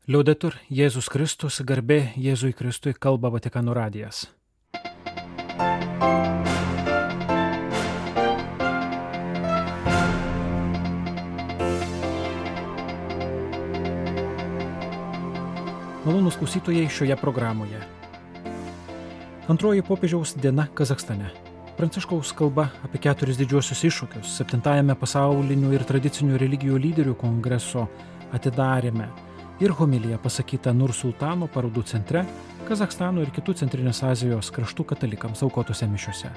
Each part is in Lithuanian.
Liaudetur Jėzus Kristus, garbė Jėzui Kristui, kalba Vatikano radijas. Malonūs klausytojai šioje programoje. Antroji popiežiaus diena Kazachstane. Pranciškaus kalba apie 4 didžiuosius iššūkius 7-ajame pasaulinių ir tradicinių religijų lyderių kongreso atidaryme ir homilija pasakyta Nursultano parodų centre, Kazachstano ir kitų Centrinės Azijos kraštų katalikams aukotose mišiose.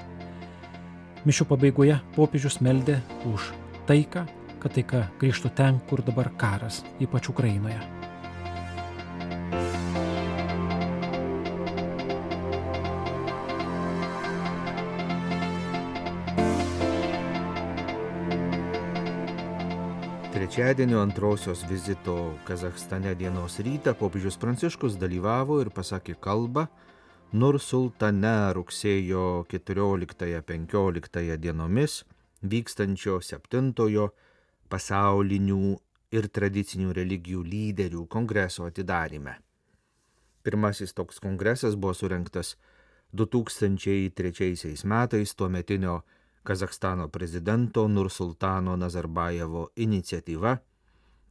Mišių pabaigoje popiežius meldė už taiką, kad taika grįžtų ten, kur dabar karas, ypač Ukrainoje. Trečiadienio antrosios vizito Kazachstane dienos rytą popiežius Pranciškus dalyvavo ir pasakė kalbą Nursultane rugsėjo 14-15 dienomis vykstančio 7-ojo pasaulinių ir tradicinių religijų lyderių kongreso atidaryme. Pirmasis toks kongresas buvo surengtas 2003 metais tuometinio Kazachstano prezidento Nursultano Nazarbajevo iniciatyva,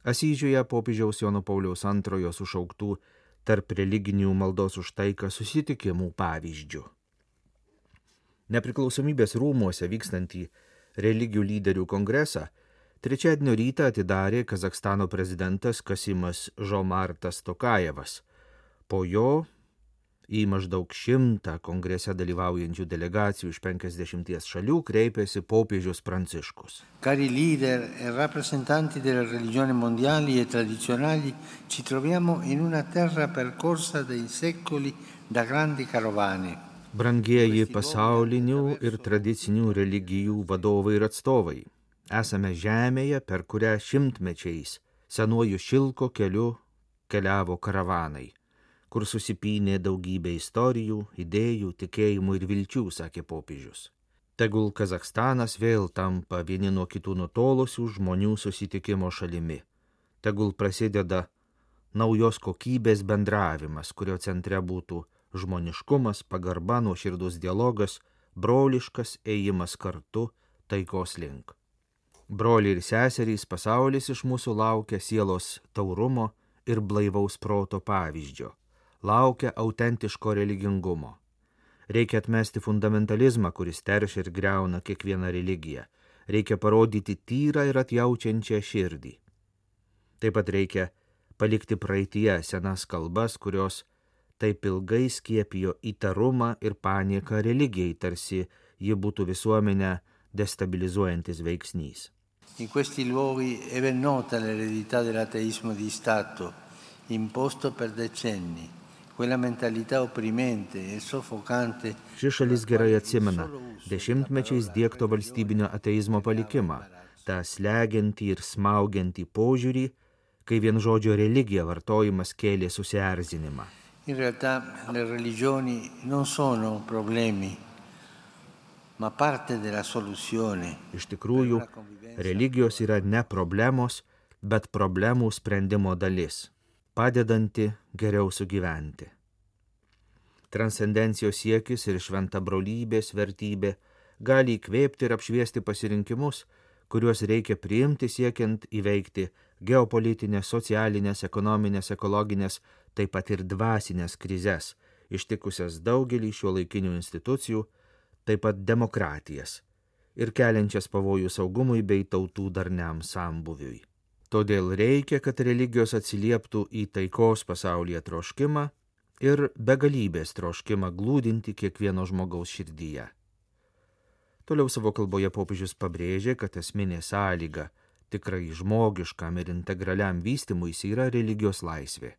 Asyžiuje popiežiaus Jono Pauliaus II sušauktų tarp religinių maldos už taiką susitikimų pavyzdžių. Nepriklausomybės rūmuose vykstantį religijų lyderių kongresą trečiadienio rytą atidarė Kazachstano prezidentas Kasimas Žomartas Tokajevas. Po jo į maždaug 100 kongrese dalyvaujančių delegacijų iš 50 šalių kreipėsi popiežius Pranciškus. Cari leader e rappresentanti delle religioni mondiali e tradizionali, ci troviamo in una terra percorsa dai secoli da grandi carovane. Brangieji pasaulinių ir tradicinių religijų vadovai ir atstovai, esame žemėje, per kurią šimtmečiais senuoju šilko keliu keliavo karavanai, kur susipynė daugybė istorijų, idėjų, tikėjimų ir vilčių, sakė popiežius. Tegul Kazachstanas vėl tampa vieni nuo kitų nutolusių žmonių susitikimo šalimi. Tegul prasideda naujos kokybės bendravimas, kurio centre būtų žmoniškumas, pagarba, nuoširdus dialogas, broliškas ėjimas kartu taikos link. Broliai ir seserys, pasaulis iš mūsų laukia sielos taurumo ir blaivaus proto pavyzdžio. Laukia autentiško religingumo. Reikia atmesti fundamentalizmą, kuris teršia ir griauna kiekvieną religiją. Reikia parodyti tyrą ir atjaučiančią širdį. Taip pat reikia palikti praeityje senas kalbas, kurios taip ilgai skiepijo įtarumą ir panieką religijai, tarsi ji būtų visuomenę destabilizuojantis veiksnys. In questi luoghi è ben nota l'eredità dell'ateismo di Stato, imposto per decenni. Quella mentalità opprimente e soffocante. Ši šalis gerai atsimena dešimtmečiais diegto valstybinio ateizmo palikimą, tą slegiantį ir smaugiantį požiūrį, kai vien žodžio religija vartojimas kėlė susierzinimą. In realtà le religioni non sono problemi, ma parte della soluzione. Iš tikrųjų, religijos yra ne problemos, bet problemų sprendimo dalis, padedanti geriau sugyventi. Transcendencijos siekis ir šventa brolybės vertybė gali įkvėpti ir apšviesti pasirinkimus, kuriuos reikia priimti siekiant įveikti geopolitinės, socialinės, ekonominės, ekologinės, taip pat ir dvasinės krizes, ištikusias daugelį šiuolaikinių institucijų, taip pat demokratijas ir keliančias pavojų saugumui bei tautų darniam sambuviui. Todėl reikia, kad religijos atsilieptų į taikos pasaulyje troškimą ir begalybės troškimą glūdinti kiekvieno žmogaus širdyje. Toliau savo kalboje popiežius pabrėžė, kad esminė sąlyga tikrai žmogiškam ir integraliam vystymuisi yra religijos laisvė.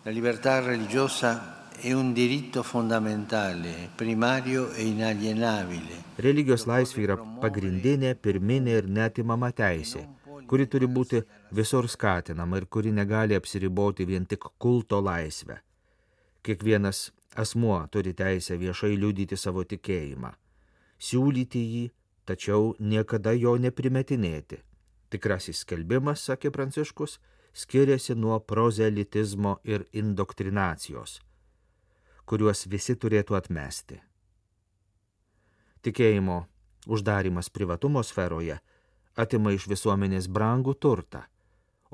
La libertà religiosa è un diritto fondamentale, primario e inalienabile. Religijos laisvė yra pagrindinė, pirminė ir neatimama teisė, kuri turi būti visur skatinama ir kuri negali apsiriboti vien tik kulto laisvę. Kiekvienas asmuo turi teisę viešai liudyti savo tikėjimą, siūlyti jį, tačiau niekada jo neprimetinėti. Tikrasis skelbimas, sakė Pranciškus, skiriasi nuo prozelitizmo ir indoktrinacijos, kuriuos visi turėtų atmesti. Tikėjimo uždarimas privatumo sferoje atima iš visuomenės brangų turtą,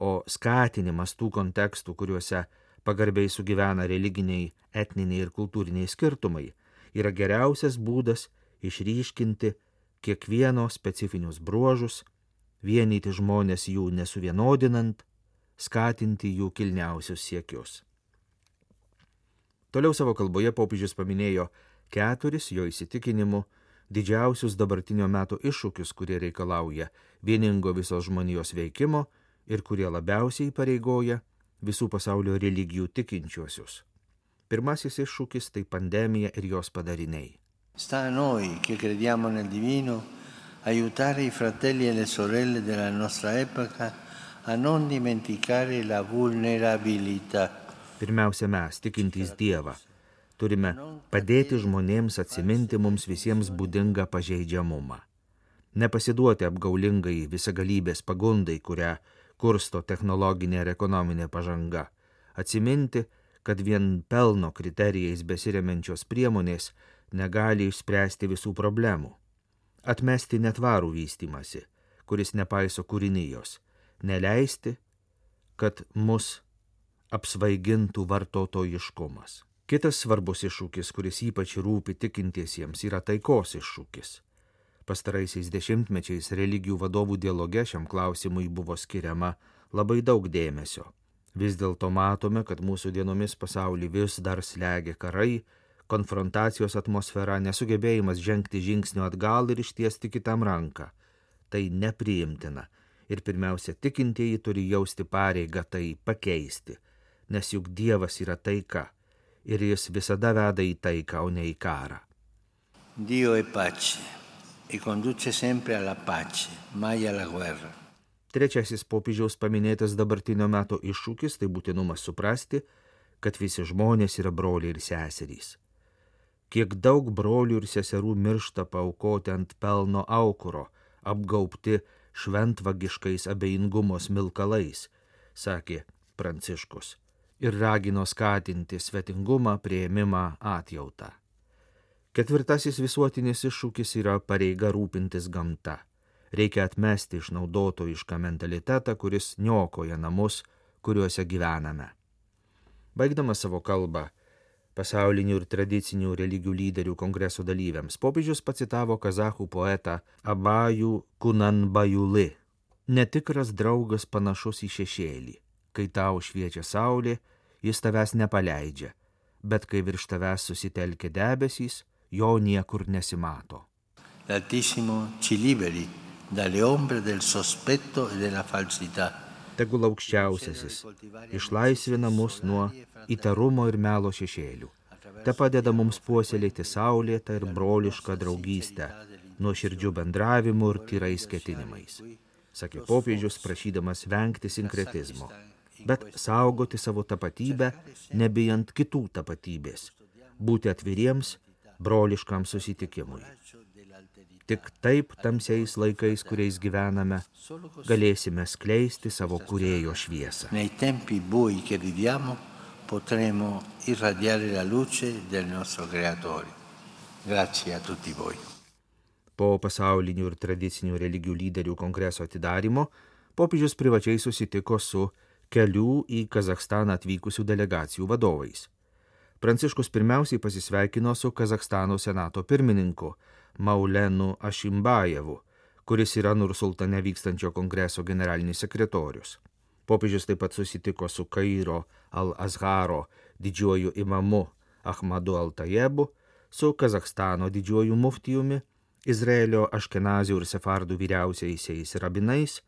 o skatinimas tų kontekstų, kuriuose pagarbiai sugyvena religiniai, etniniai ir kultūriniai skirtumai, yra geriausias būdas išryškinti kiekvieno specifinius bruožus, vienyti žmonės jų nesuvienodinant, skatinti jų kilniausius siekius. Toliau savo kalboje popiežius paminėjo 4 jo įsitikinimu didžiausius dabartinio meto iššūkius, kurie reikalauja vieningo visos žmonijos veikimo ir kurie labiausiai įpareigoja visų pasaulio religijų tikinčiuosius. Pirmasis iššūkis tai pandemija ir jos padariniai. Sta a noi che crediamo nel divino aiutare i fratelli e le sorelle della nostra epoca a non dimenticare la vulnerabilità. Pirmiausia, mes, tikintys Dievą, turime padėti žmonėms atsiminti mums visiems būdingą pažeidžiamumą. Nepasiduoti apgaulingai visagalybės pagundai, kurią kursto technologinė ir ekonominė pažanga. Atsiminti, kad vien pelno kriterijais besiremiančios priemonės negali išspręsti visų problemų. Atmesti netvarų vystymasi, kuris nepaiso kūrinijos. Neleisti, kad mus apsvaigintų vartotojiškumas. Kitas svarbus iššūkis, kuris ypač rūpi tikintiesiems, yra taikos iššūkis. Pastaraisiais dešimtmečiais religijų vadovų dialoge šiam klausimui buvo skiriama labai daug dėmesio. Vis dėlto matome, kad mūsų dienomis pasaulį vis dar slegia karai, konfrontacijos atmosfera, nesugebėjimas žengti žingsnio atgal ir ištiesti kitam ranką. Tai nepriimtina ir pirmiausia, tikintieji turi jausti pareigą tai pakeisti, nes juk Dievas yra taika ir jis visada veda į taiką, o ne į karą. Dio è pace e conduce sempre alla pace, mai alla guerra. Trečiasis popiežiaus paminėtas dabartinio meto iššūkis tai būtinumas suprasti, kad visi žmonės yra broliai ir seserys. Kiek daug brolių ir seserų miršta paaukoti ant pelno aukuro, apgaubti šventvagiškais abejingumo smilkalais, sakė Pranciškus, ir ragino skatinti svetingumą, priėmimą, atjautą. Ketvirtasis visuotinis iššūkis yra pareiga rūpintis gamta. Reikia atmesti išnaudotojišką mentalitetą, kuris niokoja namus, kuriuose gyvename. Baigdamas savo kalbą pasaulinių ir tradicinių religijų lyderių kongreso dalyviams, popiežius pacitavo kazachų poetą Abajų Kunanbajuli. Netikras draugas panašus į šešėlį. Kai tau šviečia saulė, jis tavęs nepaleidžia, bet kai virš tavęs susitelkia debesys, jo niekur nesimato. L'Altissimo ci liberi dalle ombre del sospetto e della falsità. Tegul aukščiausiasis išlaisvina mus nuo įtarumo ir melo šešėlių. Te padeda mums puoselėti saulėtą ir brolišką draugystę, nuoširdžių bendravimų ir tyrais ketinimais, sakė popiežius, prašydamas vengti sinkretizmo, bet saugoti savo tapatybę, nebijant kitų tapatybės, būti atviriems broliškam susitikimui. Tik taip tamsiais laikais, kuriais gyvename, galėsime skleisti savo kūrėjo šviesą. Nei tempi bui che viviamo potremo irradiare la luce del nostro Creatore. Grazie a tutti voi. Po pasaulinių ir tradicinių religijų lyderių kongreso atidarymo, popiežius privačiai susitiko su kelių į Kazachstaną atvykusių delegacijų vadovais. Pranciškus pirmiausiai pasisveikino su Kazachstano senato pirmininku Maulenu Ašimbajevu, kuris yra Nursultane vykstančio kongreso generalinis sekretorius. Popiežius taip pat susitiko su Kairo Al-Azharo didžiuoju imamu Ahmadu Al-Tajebu, su Kazachstano didžiuoju muftijumi, Izraelio Aškenazių ir Sefardų vyriausiaisiais rabinais,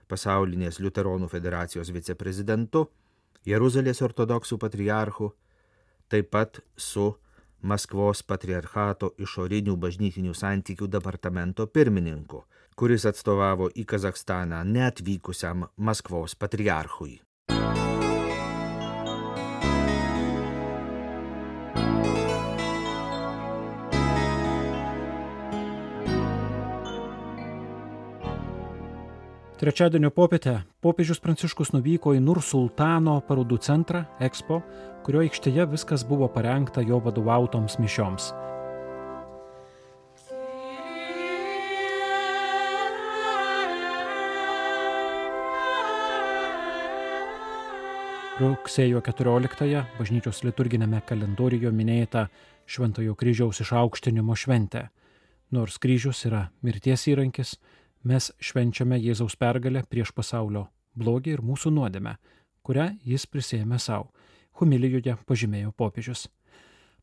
pasaulinės liuteronų federacijos viceprezidentu, Jeruzalės ortodoksų patriarchu, taip pat su Maskvos patriarchato išorinių bažnytinių santykių departamento pirmininku, kuris atstovavo į Kazachstaną neatvykusiam Maskvos patriarchui. Trečiadienio popietę popiežius Pranciškus nuvyko į Nursultano parodų centrą Expo, kurio aikštėje viskas buvo parengta jo vadovautoms mišioms. Rugsėjo 14-ąją bažnyčios liturginėme kalendoriuje minėta Šventojo kryžiaus išaukštinimo šventė. Nors kryžius yra mirties įrankis, mes švenčiame Jėzaus pergalę prieš pasaulio blogį ir mūsų nuodėmę, kurią jis prisėmė savo. Homilijoje pažymėjo popiežius.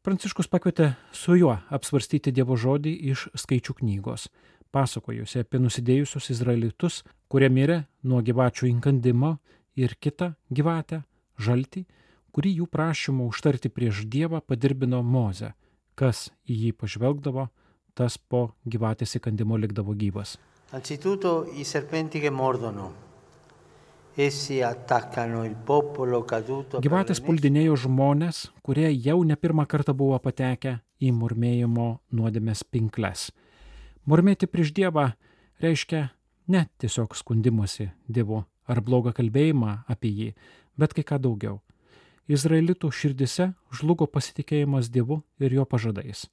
Pranciškus pakvietė su juo apsvarstyti Dievo žodį iš Skaičių knygos, pasakojusi apie nusidėjusius izraelitus, kurie mirė nuo gyvačių įkandimo, ir kitą gyvatę, žaltį, kurį jų prašymu užtarti prieš Dievą padirbino Mozę. Kas į jį pažvelgdavo, tas po gyvatės įkandimo likdavo gyvas. Anzitutto i serpenti che mordono. Essi attaccano il popolo caduto. Gyvatės puldinėjo žmonės, kurie jau ne pirmą kartą buvo patekę į murmėjimo nuodėmės pinkles. Murmėti prieš Dievą reiškia ne tiesiog skundimosi Dievu ar blogą kalbėjimą apie jį, bet kai ką daugiau. Izraelitų širdise žlugo pasitikėjimas Dievu ir jo pažadais.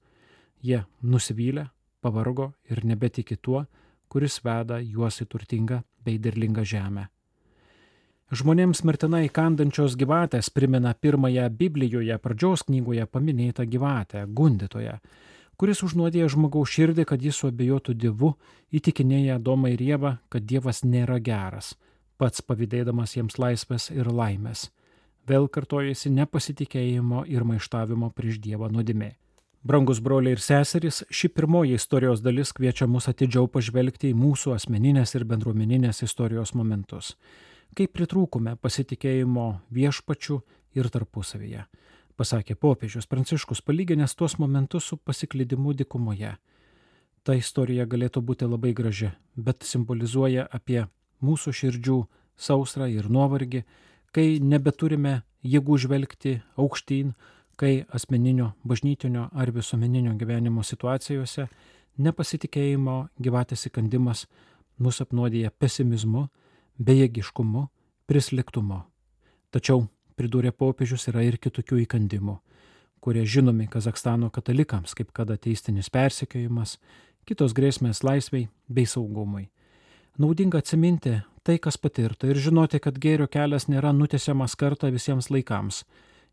Jie nusivylė, pavargo ir nebetiki tuo, kuris veda juos į turtingą bei derlingą žemę. Žmonėms mirtinai įkandančios gyvatės primena pirmąją Biblijoje pradžios knygoje paminėtą gyvatę, gundytoją, kuris užnuodėjo žmogaus širdį, kad jis suabejotų Dievu, įtikinėja Adomą ir Ievą, kad Dievas nėra geras, pats pavydėdamas jiems laisvės ir laimės. Vėl kartojasi nepasitikėjimo ir maištavimo prieš Dievą nuodėmė. Brangus broliai ir seserys, ši pirmoji istorijos dalis kviečia mus atidžiau pažvelgti į mūsų asmeninės ir bendruomeninės istorijos momentus. Kaip pritrūkume pasitikėjimo viešpačiu ir tarpusavyje, pasakė popiežius Pranciškus, palyginęs tuos momentus su pasiklydimu dykumoje. Ta istorija galėtų būti labai graži, bet simbolizuoja apie mūsų širdžių sausrą ir nuovargį, kai nebeturime jėgų žvelgti aukštyn, kai asmeninio, bažnytinio ar visuomeninio gyvenimo situacijose nepasitikėjimo gyvatės įkandimas mus apnuodija pesimizmu, bejėgiškumu, prislėgtumu. Tačiau, pridūrė popiežius, yra ir kitokių įkandimų, kurie žinomi Kazachstano katalikams, kaip kad ateistinis persekiojimas, kitos grėsmės laisvei bei saugumui. Naudinga atsiminti tai, kas patirta, ir žinoti, kad gėrio kelias nėra nutiesiamas kartą visiems laikams.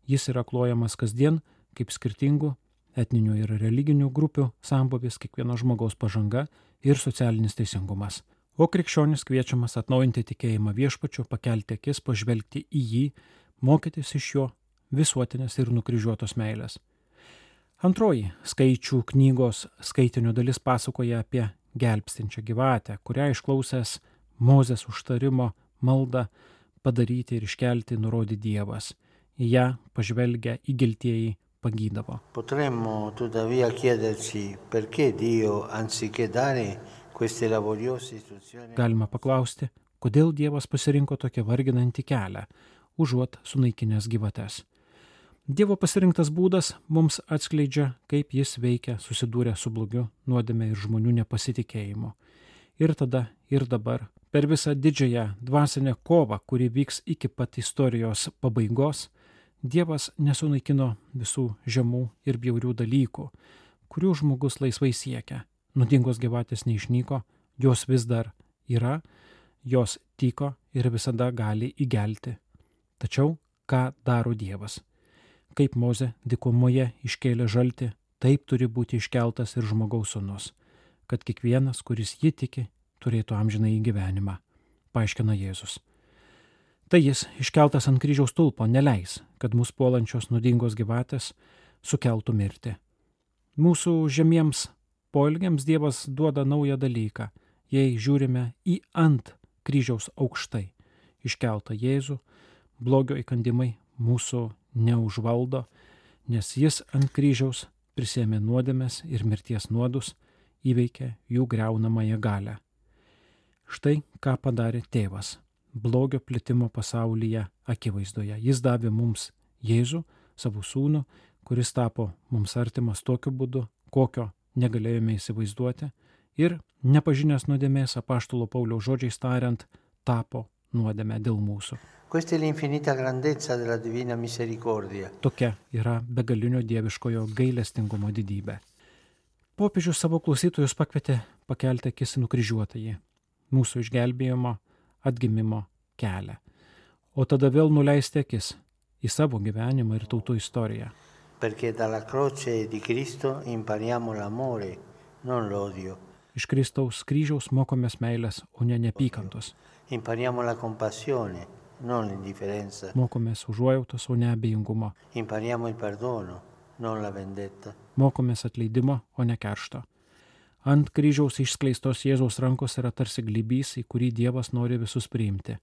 Jis yra klojamas kasdien kaip skirtingų etninių ir religinių grupių sambūvis, kiekvieno žmogaus pažanga ir socialinis teisingumas. O krikščionis kviečiamas atnaujinti tikėjimą viešpačiu, pakelti akis, pažvelgti į jį, mokytis iš jo visuotinės ir nukryžiuotos meilės. Antroji Skaičių knygos skaitinio dalis pasakoja apie gelbstinčią gyvatę, kurią išklausęs Mozės užtarimo maldą padaryti ir iškelti nurodė Dievas. Į ją pažvelgę įgeltieji pagydavo. Potremmo tuttavia chiederci perché Dio, anziché dare queste laboriose istruzioni. Galima paklausti, kodėl Dievas pasirinko tokią varginantį kelią, užuot sunaikinęs gyvates. Dievo pasirinktas būdas mums atskleidžia, kaip jis veikia susidūrę su blogiu, nuodėme ir žmonių nepasitikėjimu. Ir tada, ir dabar, per visą didžiąją dvasinę kovą, kuri vyks iki pat istorijos pabaigos, Dievas nesunaikino visų žemų ir bjaurių dalykų, kurių žmogus laisvai siekia. Nuodingos gyvatės neišnyko, jos vis dar yra, jos tyko ir visada gali įgelti. Tačiau ką daro Dievas? Kaip Mozė dykumoje iškėlė žaltį, taip turi būti iškeltas ir žmogaus sūnus, kad kiekvienas, kuris jį tiki, turėtų amžinąjį gyvenimą, paaiškina Jėzus. Tai jis, iškeltas ant kryžiaus stulpo, neleis, kad mūsų puolančios nuodingos gyvatės sukeltų mirtį. Mūsų žemiems poelgiams Dievas duoda naują dalyką, jei žiūrime į ant kryžiaus aukštai iškeltą Jėzų, blogio įkandimai mūsų neužvaldo, nes jis ant kryžiaus prisėmė nuodėmes ir mirties nuodus, įveikė jų griaunamąją galią. Štai ką padarė tėvas blogio plitimo pasaulyje akivaizdoje. Jis davė mums Jėzų, savo sūnų, kuris tapo mums artimas tokiu būdu, kokio negalėjome įsivaizduoti, ir nepažinęs nuodėmės, apaštalo Pauliaus žodžiais tariant, tapo nuodėme dėl mūsų. Questa è l'infinita grandezza della divina misericordia. Tokia yra begalinio dieviškojo gailestingumo didybė. Popiežius savo klausytojus pakvietė pakelti akis į nukryžiuotąjį, mūsų išgelbėjimo, atgimimo kelią, o tada vėl nuleisti akis į savo gyvenimą ir tautų istoriją. Perché dalla croce di Cristo impariamo l'amore, non l'odio. Iš Kristaus kryžiaus mokomės meilės, o ne neapykantos. Impariamo la compassione, non l'indifferenza. Mokomės užuojautos, o ne abejingumo. Impariamo il perdono, non la vendetta. Mokomės atleidimo, o ne keršto. Ant kryžiaus išskleistos Jėzaus rankos yra tarsi glybys, į kurį Dievas nori visus priimti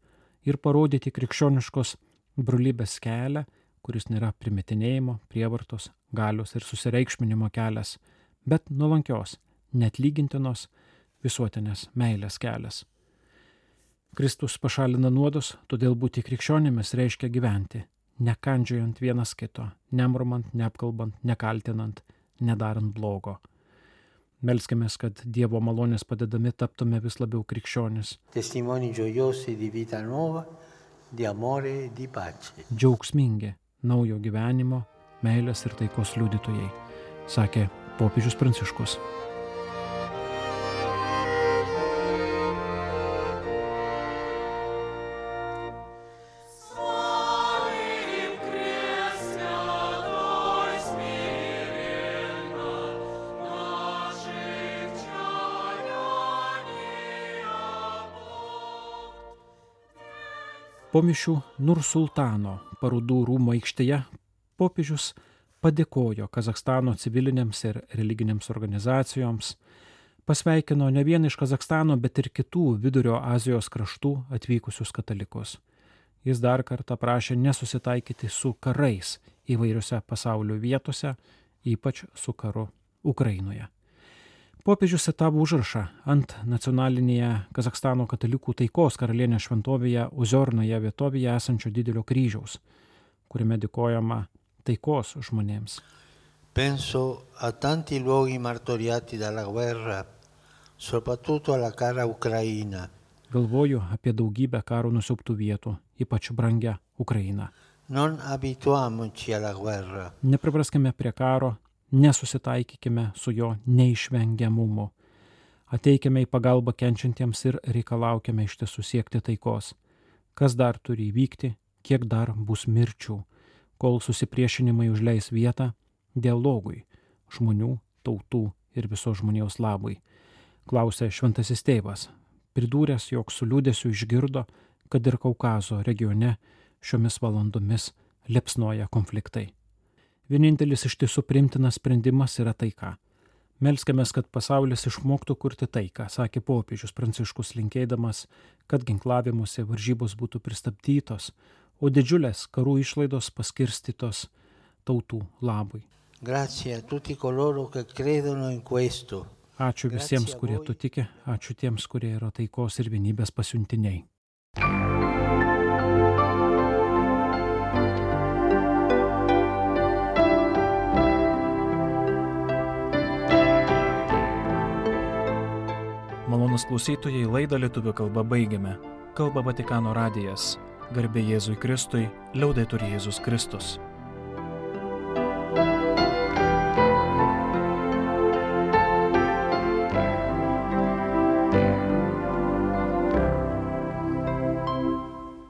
ir parodyti krikščioniškos brolybės kelią, kuris nėra primetinėjimo, prievartos, galios ir susireikšminimo kelias, bet nuolankios, neatlygintinos visuotinės meilės kelias. Kristus pašalina nuodus, todėl būti krikščionimis reiškia gyventi, nekandžiojant vienas kito, nemurmant, neapkalbant, nekaltinant, nedarant blogo. Melskimės, kad Dievo malonės padedami taptume vis labiau krikščionis. Testimoni gioiosi di vita nuova, di amore e di pace. Džiaugsmingi naujo gyvenimo, meilės ir taikos liudytojai, sakė popiežius Pranciškus. Po mišių Nursultano parodų rūmų aikštėje popiežius padėkojo Kazachstano civilinėms ir religinėms organizacijoms, pasveikino ne vien iš Kazachstano, bet ir kitų Vidurio Azijos kraštų atvykusius katalikus. Jis dar kartą prašė nesusitaikyti su karais įvairiose pasaulio vietose, ypač su karu Ukrainoje. Popiežius citavo užrašą ant nacionalinėje Kazachstano katalikų taikos karalienės šventovėje Uziornoje vietovėje esančio didelio kryžiaus, kuriame dėkojama taikos žmonėms. Penso a tanti luoghi martoriati dalla guerra, soprattutto alla cara Ucraina. Galvoju apie daugybę karo nusiaubtų vietų, ypač brangią Ukrainą. Non abituamoci alla guerra. Nepripraskime prie karo, nesusitaikykime su jo neišvengiamumu. Ateikime į pagalbą kenčiantiems ir reikalaukime iš tiesų siekti taikos. Kas dar turi įvykti, kiek dar bus mirčių, kol susipriešinimai užleis vietą dialogui, žmonių, tautų ir visos žmonijos labui, klausė šventasis tėvas, pridūręs, jog su liūdesiu išgirdo, kad ir Kaukazo regione šiomis valandomis liepsnoja konfliktai. Vienintelis iš tiesų priimtinas sprendimas yra taika. Melskimės, kad pasaulis išmoktų kurti taiką, sakė popiežius Pranciškus, linkėdamas, kad ginklavimuose varžybos būtų pristabdytos, o didžiulės karų išlaidos paskirstytos tautų labui. Grazie a tutti coloro che credono in questo. Ačiū visiems, kurie tu tiki, ačiū tiems, kurie yra taikos ir vienybės pasiuntiniai. Malonūs klausytojai, laidą lietuvių kalba baigiame. Kalba Vatikano radijas. Garbė Jėzui Kristui, liaudetur Jėzus Kristus.